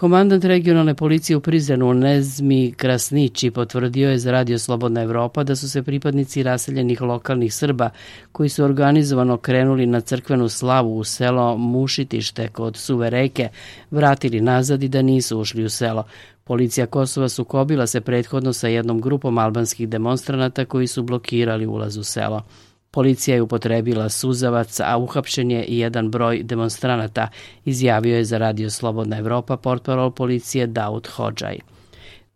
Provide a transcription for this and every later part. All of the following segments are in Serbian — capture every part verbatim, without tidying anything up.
Komandant regionalne policije u Prizrenu Nezmi Krasnići potvrdio je za Radio Slobodna Evropa da su se pripadnici raseljenih lokalnih Srba koji su organizovano krenuli na crkvenu slavu u selo Mušitište kod Suve reke vratili nazad i da nisu ušli u selo. Policija Kosova sukobila se prethodno sa jednom grupom albanskih demonstranata koji su blokirali ulaz u selo. Policija je upotrebila suzavac, a uhapšen je i jedan broj demonstranata, izjavio je za Radio Slobodna Evropa portparol policije Daud Hodžaj.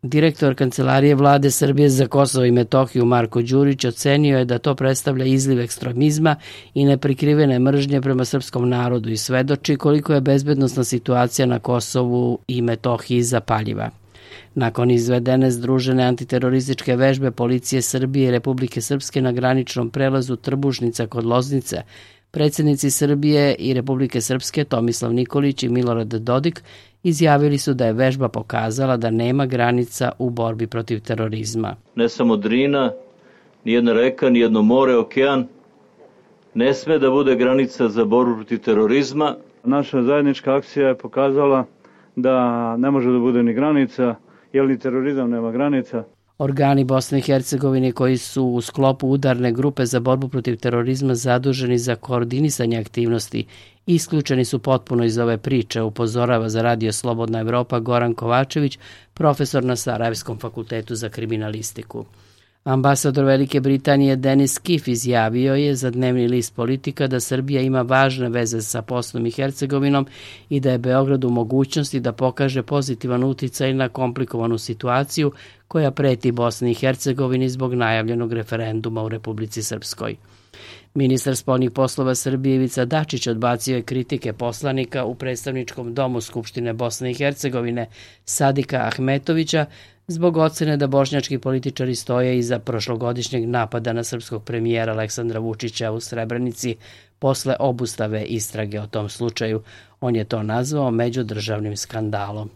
Direktor Kancelarije vlade Srbije za Kosovo i Metohiju Marko Đurić ocenio je da to predstavlja izliv ekstremizma i neprikrivene mržnje prema srpskom narodu i svedoči koliko je bezbednosna situacija na Kosovu i Metohiji zapaljiva. Nakon izvedene združene antiterorističke vežbe policije Srbije i Republike Srpske na graničnom prelazu Trbušnica kod Loznice, predsjednici Srbije i Republike Srpske Tomislav Nikolić i Milorad Dodik izjavili su da je vežba pokazala da nema granica u borbi protiv terorizma. Ne samo Drina, nijedna reka, nijedno more, okean, ne sme da bude granica za borbu protiv terorizma. Naša zajednička akcija je pokazala da ne može da bude ni granica, jer ni terorizam nema granica. Organi Bosne i Hercegovine koji su u sklopu udarne grupe za borbu protiv terorizma zaduženi za koordinisanje aktivnosti isključeni su potpuno iz ove priče, upozorava za Radio Slobodna Evropa Goran Kovačević, profesor na Sarajevskom fakultetu za kriminalistiku. Ambasador Velike Britanije Denis Kif izjavio je za dnevni list Politika da Srbija ima važne veze sa Bosnom i Hercegovinom i da je Beograd u mogućnosti da pokaže pozitivan uticaj na komplikovanu situaciju koja preti Bosni i Hercegovini zbog najavljenog referenduma u Republici Srpskoj. Ministar spoljnih poslova Srbije Ivica Dačić odbacio je kritike poslanika u predstavničkom domu Skupštine Bosne i Hercegovine Sadika Ahmetovića zbog ocene da bošnjački političari stoje iza prošlogodišnjeg napada na srpskog premijera Aleksandra Vučića u Srebrenici posle obustave istrage o tom slučaju. On je to nazvao međudržavnim skandalom.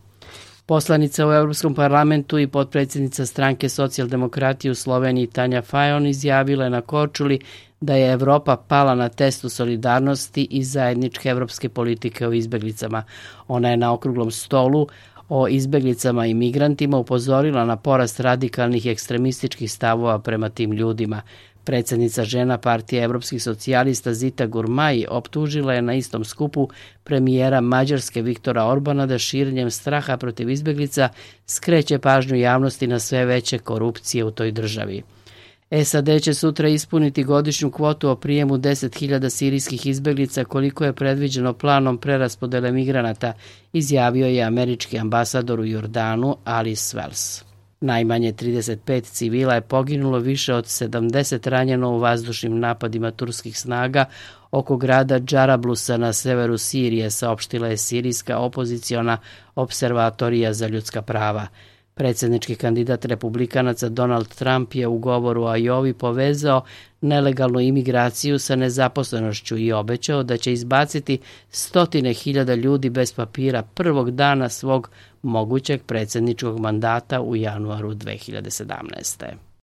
Poslanica u Europskom parlamentu i potpredsjednica stranke Socijaldemokratije u Sloveniji Tanja Fajon izjavila je na Korčuli da je Evropa pala na testu solidarnosti i zajedničke evropske politike o izbeglicama. Ona je na okruglom stolu o izbeglicama i migrantima upozorila na porast radikalnih i ekstremističkih stavova prema tim ljudima. Predsjednica žena Partije evropskih socijalista Zita Gurmai optužila je na istom skupu premijera Mađarske Viktora Orbana da širenjem straha protiv izbeglica skreće pažnju javnosti na sve veće korupcije u toj državi. S A D će sutra ispuniti godišnju kvotu o prijemu deset hiljada sirijskih izbeglica koliko je predviđeno planom preraspodele migranata, izjavio je američki ambasador u Jordanu Ali Svels. Najmanje trideset pet civila je poginulo, više od sedamdeset ranjeno u vazdušnim napadima turskih snaga oko grada Džarablusa na severu Sirije, saopštila je sirijska opoziciona observatorija za ljudska prava. Predsjednički kandidat republikanaca Donald Trump je u govoru o Ajovi povezao nelegalnu imigraciju sa nezaposlenošću i obećao da će izbaciti stotine hiljada ljudi bez papira prvog dana svog mogućeg predsjedničkog mandata u januaru dve hiljade sedamnaeste.